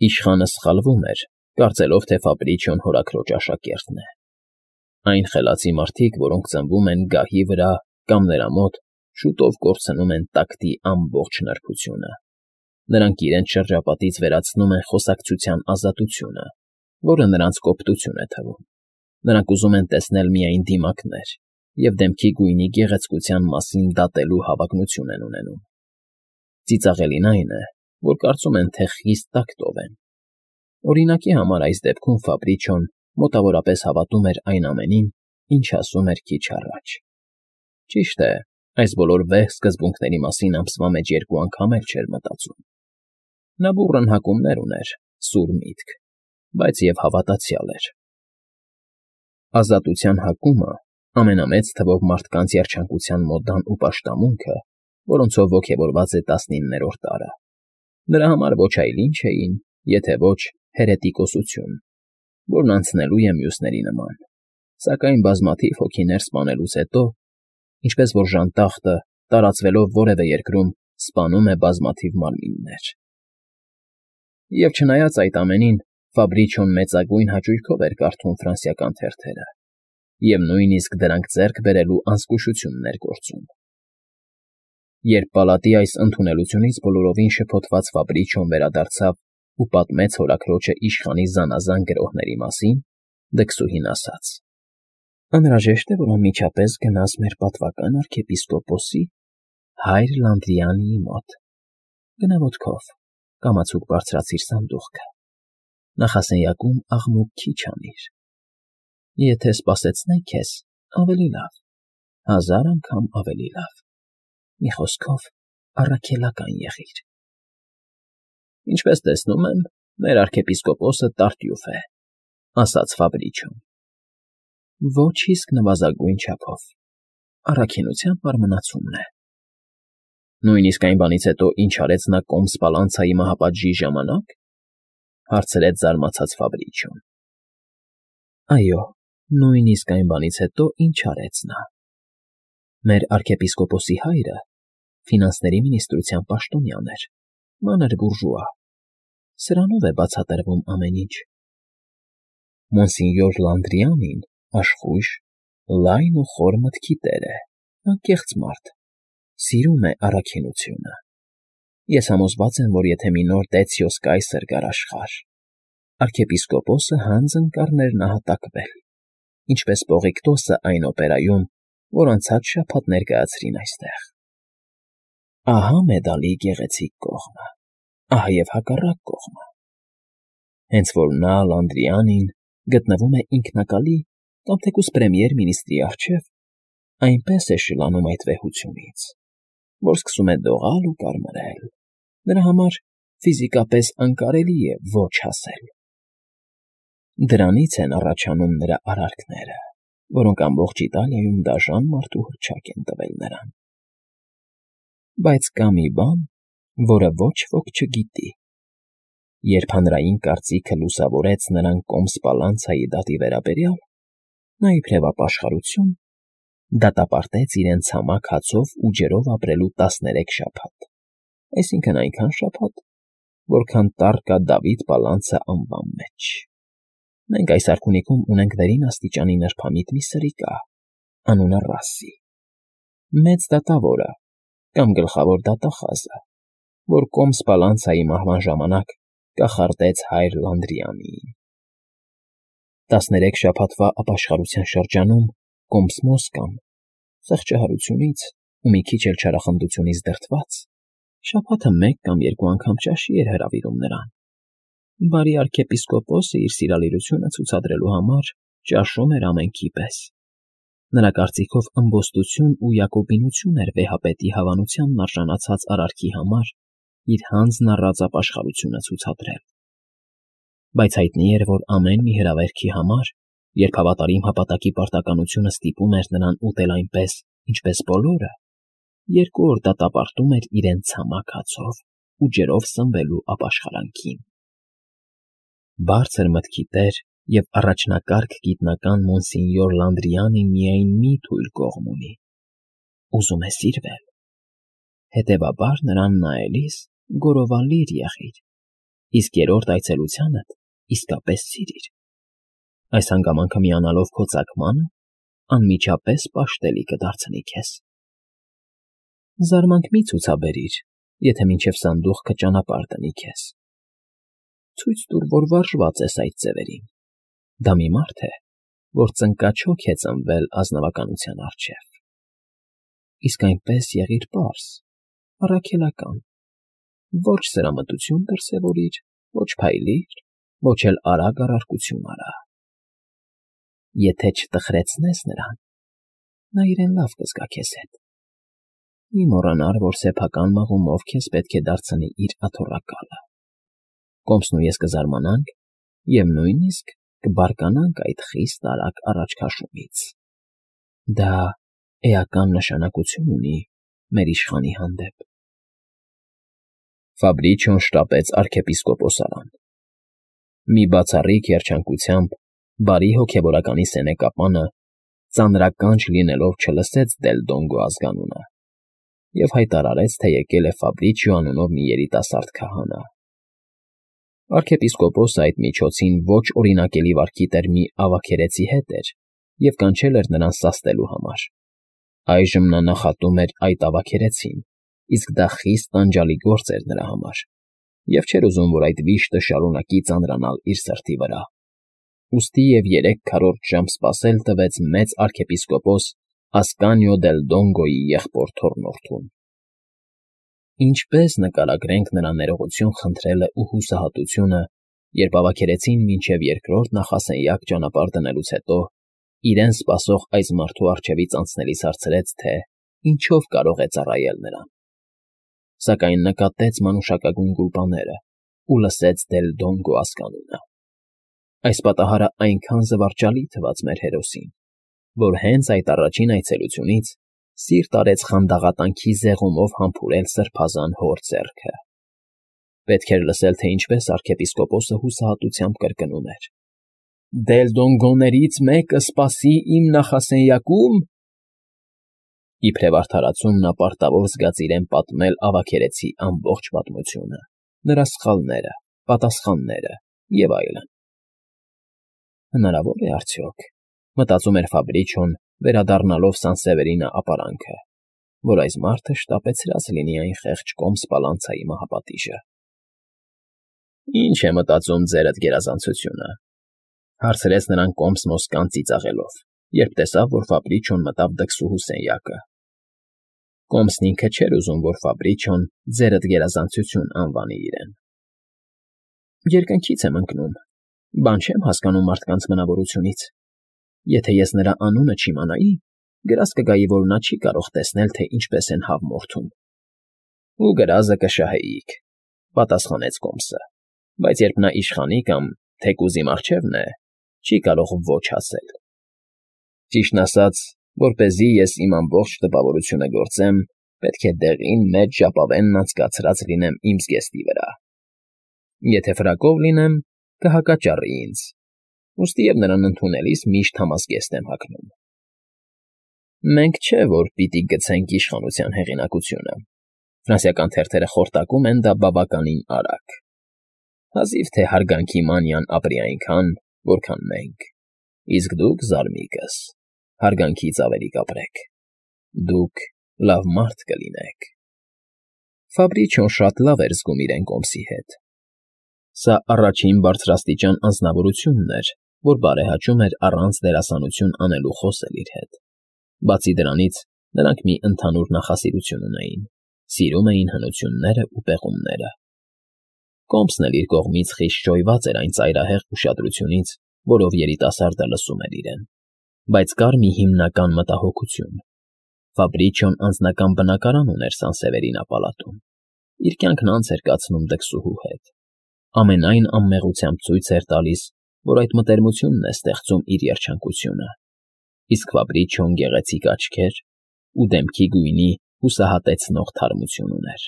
Իշխանը սխալվում էր, կարծելով, թե Ֆաբրիչիոն հորաքրոջ աշակերտն է։ Այն խելացի մարդիկ, որոնք ծնվում են գահի վրա կամ նրա մոտ, շուտով կորցնում են տակտի ամբողջ նրբությունը։ Նրանք իրենց շրջապատից վերացնում են խոսակցության ազատությունը, որը նրանց կոպտություն է թվում։ Նրանք ուզում են տեսնել միայն դիմակներ և դեմքի գույնի գեղեցկության մասին դատելու հավակնություն են ունենում։ Ծիծաղելին այն է, որ կարծում են, թե խիստ տակտով են։ Օրինակի համար այս դեպքում Ֆաբրիչիոն մոտավորապես հավատում էր այն ամենին, ինչ ասում էր քիչ առաջ։ Ճիշտ է, այս բոլոր վեհ սկզբունքների մասին ամսվա մեջ 2 անգամ էլ չէր մտածում։ Նա բուռն հակումներ ուներ, սուր միտք, բայց և հավատացյալ էր։ Ազատության հակումը ամենամեծ թվով մարդկանց երջանկության մոդան ու պաշտամունքը, որոնցով ոգևորված է 19-րդ դարը։ Նրա համար ոչ այլ ինչ էին, եթե ոչ հերետիկոսություն, որն անցնելու է մյուսների նման, սակայն բազմաթիվ հոգիներ սպանելուց հետո, ինչպես որ ժանտախտը, տարածվելով որևէ երկրում, սպանում է բազմաթիվ մարմիններ։ Եվ չնայած այդ ամենին, Ֆաբրիչիոն մեծագույն հաճույքով էր կարդում ֆրանսիական թերթերը և նույնիսկ դրանք ձեռք բերելու անզգուշությունն էր գործում։ Երբ պալատի այս ընդունելությունից բոլորովին շփոթված Ֆաբրիչիոն վերադարձավ ու պատմեց հորաքրոջը իշխանի զանազան գրոհների մասին, դքսուհին ասաց. «Անհրաժեշտ է, որ անմիջապես գնաս մեր պատվական արքեպիսկոպոսի հայր Լանդրիանիի մոտ։ Գնա ոտքով, կամացուկ բարձրացիր սանդուղքը, նախասենյակում աղմուկ քիչ անիր։ Եթե սպասեցնեն քեզ, ավելի լավ, 1000 անգամ ավելի լավ։ Մի խոսքով, առաքելական եղիր»։ «Ինչպես տեսնում եմ, մեր արքեպիսկոպոսը տարտյուֆ է», ասաց Ֆաբրիչիոն։ «Ոչ իսկ նվազագույն չափով, առաքինության մարմնացումն է»։ «Նույնիսկ այն բանից հետո, ինչ արեց նա Կոմ Սպալանցայի մահապատժի ժամանա՞կ», հարցրեց զարմացած Ֆաբրիչիոն։ «Այո, նույնիսկ այն բանից հետո, ինչ արեց նա։ Մեր արքեպիսկոպոսի հայրը ֆինանսների մինիստրության պաշտոնյան էր, մանր բուրժուա։ Սրանով է բացատրվում ամեն ինչ։ Մոնսինյոր Լանդրիանին աշխույժ, լայն ու խոր մտքի տեր է, անկեղծ մարդ, սիրում է առաքինությունը։ Ես համոզված եմ, որ եթե մի նոր Դեցիոս կայսր գար աշխարհ, արքեպիսկոպոսը հանձն կառներ նահատակվել, ինչպես Պողիկտոսը այն օպերայում, որ անցած շաբաթ ներկայացրին այստեղ։ Ահա մեդալի գեղեցիկ կողմը, ահա և հակառակ կողմը։ Հենց որ նա, Լանդրիանին, գտնվում է ինքնակալի կամ թեկուզ պրեմիեր֊մինիստրի առջև, այնպես է շլանում այդ վեհությունից, որ սկսում է դողալ ու կարմրել։ Նրա համար ֆիզիկապես անկարելի է ոչ ասել։ Դրանից են առաջանում նրա արարքները, որոնք ամբողջ Իտալիայում դաժան մարդու հռչակ են տվել նրան։ Բայց կա մի բան, որը ոչ ոք չգիտի։ Երբ հանրային կարծիքը լուսավորեց նրան Կոմ Սպալանցայի դատի վերաբերյալ, նա իբրև ապաշխարություն դատապարտեց իրեն ցամաք հացով ու ջրով ապրելու 13 շաբաթ, այսինքն այնքան շաբաթ, որքան տառ կա Դավիթ Պալանցը անվան մեջ։ Մենք այս արքունիքում ունենք վերին աստիճանի նրբամիտ մի սրիկա, անունը Ռասսի, մեծ դատավորը կամ գլխավոր դատախազը, որ Կոմ Սպալանցայի մահվան ժամանակ կախարդեց հայր Լանդրիանիին։ 13 շաբաթվա ապաշխարության շրջանում Կոմսմոսկան, խղճահարությունից ու մի քիչ էլ չարախնդությունից դրդված, շաբաթը 1 կամ 2 անգամ ճաշի էր հրավիրում նրան։ Բարի արքեպիսկոպոսը իր սիրալիրությունը ցուցադրելու համար ճաշում էր ամենքի պես։ Նրա կարծիքով ըմբոստություն ու յակոբինություն էր վեհապետի հավանությանն արժանացած արարքի համար իր հանձն առած ապաշխարությունը ցուցադրել։ Բայց հայտնի էր, որ ամեն մի հրավերքի համար, երբ հավատարիմ հապատակի պարտականությունը ստիպում էր նրան ուտել այնպես, ինչպես բոլորը, 2 օր դատապարտում էր իրեն ցամաք հացով ու ջրով սնվելու ապաշխարանքին։ Բարձր մտքի տեր և առաջնակարգ գիտնական Մոնսինյոր Լանդրիանին միայն մի թույլ կողմ ունի. ուզում է սիրվել։ Հետևաբար նրան նայելիս գորովալիր եղիր, իսկ երրորդ այցելությանդ իսկապես սիրիր։ Այս հանգամանքը միանալով քո ծագմանը, անմիջապես պաշտելի կդարձնի քեզ։ Զարմանք մի ցուցաբերիր, եթե մինչև սանդուղքը ճանապարհ դնի քեզ։ Ցույց տուր, որ վարժված ես այդ ձևերին։ Դա մի մարդ է, որ ծնկաչոք է ծնվել ազնվականության առջև։ Իսկ այնպես եղիր պարզ, առաքելական, ոչ սրամտություն դրսևորիր, ոչ փայլիր, ոչ էլ արագ առարկություն արա։ Եթե չտխրեցնես նրան, նա իրեն լավ կզգա քեզ հետ։ Մի մոռանար, որ սեփական մղումով քեզ պետք է դարձնի իր աթոռակալը։ Կոմսն ու ես կզարմանանք և նույնիսկ կբարկանանք այդ խիստ արագ առաջքաշումից։ Դա էական նշանակություն ունի մեր իշխանի հանդեպ։ Ֆաբրիչոն շտապեց arczepiskopos-արան։ Մի բացառիկ երջանկությամբ բարի հոգևորականի սենեկապանը ծանրականջ լինելով չլսեց Դել Դոնգո ազգանունը և հայտարարեց, թե եկել է Ֆաբրիչիո անունով մի երիտասարդ քահանա։ Arczepiskopos-ը այդ միջոցին ոչ օրինակելի վարքի տեր մի ավագերեցի հետ էր և կանչել էր նրան սաստելու համար։ Այժմ նա նախատում էր այդ ավագերեցին, իսկ դա խիստ տանջալի գործ էր նրա համար, և չէր ուզում, որ այդ վիշտը շարունակի ծանրանալ իր սրտի վրա։ Ուստի և 3 ժամ սպասել տվեց մեծ arczepiskopos Ասկանիո Դել Դոնգոյի եղբոր թոռնորդուն։ Ինչպես նկարագրենք նրա ներողություն խնդրելն ու հուսահատությունը, երբ ավագերեցին մինչև երկրորդ նախասենյակ ճանապարհ դնելուց հետո իրեն սպասող այս մարդու առջևից անցնելիս հարցրեց, թե ինչով կարող է ծառայել նրան։ Սակայն նկատեց մանուշակագույն գուլպաները ու լսեց Դել Դոնգո ազգանունը։ Այս պատահարը այնքան զվարճալի թվաց մեր հերոսին, որ հենց այդ առաջին այցելությունից սիրտ արեց խանդաղատանքի զեղումով համբուրել սրբազան հոր ձեռքը։ Պետք էր լսել, թե ինչպես arczepiskopos-ը հուսահատությամբ կրկնում էր. «Դել Դոնգոներից մեկը սպասի իմ նախասենյակում»։ Իբրև արդարացում նա պարտավոր զգաց իրեն պատմել ավագերեցի ամբողջ պատմությունը, նրա սխալները, պատասխանները և այլն։ Հնարավոր է արդյոք, մտածում էր Ֆաբրիչոն, վերադառնալով Սանսևերինը ապարանքը, որ այս մարդը շտապեցրած լինի այն խեղճ Կոմս Պալանցայի մահապատիժը։ Ինչ է մտածում ձերդ գերազանցությունը, հարցրեց նրան Կոմս Մոսկան ծիծաղելով, երբ տեսավ, որ Ֆաբրիչոն մտավ դքսուհու սենյակը։ Կոմսն ինքը չէր ուզում, որ Ֆաբրիչոն ձերդ գերազանցություն անվանի իրեն։ Երկնքից եմ ընկնում, բան չեմ հասկանում մարդկանց մնավորությունից։ Եթե ես նրա անունը չիմանայի, գրազ կգայի, որ նա չի կարող տեսնել, թե ինչպես են հավ մորթում։ Ու գրազը կշահեիք, պատասխանեց Կոմսը, բայց երբ նա իշխանի կամ թեկուզ իմ առջևն է, չի կարող ոչ ասել։ Ճիշտն ասած, որպեսզի ես իմ ամբողջ տպավորությունը գործեմ, պետք է դեղին մեծ ժապավենն անցկացրած լինեմ իմ զգեստի վրա։ Եթե ֆրակով լինեմ, կհակաճառի ինձ, ուստի և նրան ընդունելիս միշտ համազգեստ եմ հագնում։ Մենք չէ, որ պիտի գցենք իշխանության հեղինակությունը։ Ֆրանսիական թերթերը խորտակում են դա բավականին արագ։ Հազիվ թե հարգանքի մանիան ապրի այնքան, որքան մենք, իսկ դուք, զարմիկս, հարգանքից ավելի կապրեք։ Դուք լավ մարդ կլինեք։ Ֆաբրիչոն շատ լավ էր զգում իրեն Կոմսի հետ։ Սա առաջին բարձրաստիճան անձնավորությունն էր, որ բարեհաճում էր առանց դերասանություն անելու խոսել իր հետ։ Բացի դրանից, նրանք մի ընդհանուր նախասիրություն ունեին, սիրում էին հնությունները ու պեղումները։ Կոմսն էլ իր կողմից խիստ շոյված էր այն ծայրահեղ ուշադրությունից, որով երիտասարդը լսում էր իրեն։ Բայց կար մի հիմնական մտահոգություն. Ֆաբրիչոն անձնական բնակարան ուներ Սանսևերինա պալատում։ Իր կյանքն անց էր կացնում դքսուհու հետ։ Ամենայն անմեղությամբ ցույց էր տալիս, որ այդ մտերմությունն է ստեղծում իր երջանկությունը։ Իսկ Ֆաբրիչոն գեղեցիկ աչքեր ու դեմքի գույնի հուսահատեցնող թարմություն ուներ։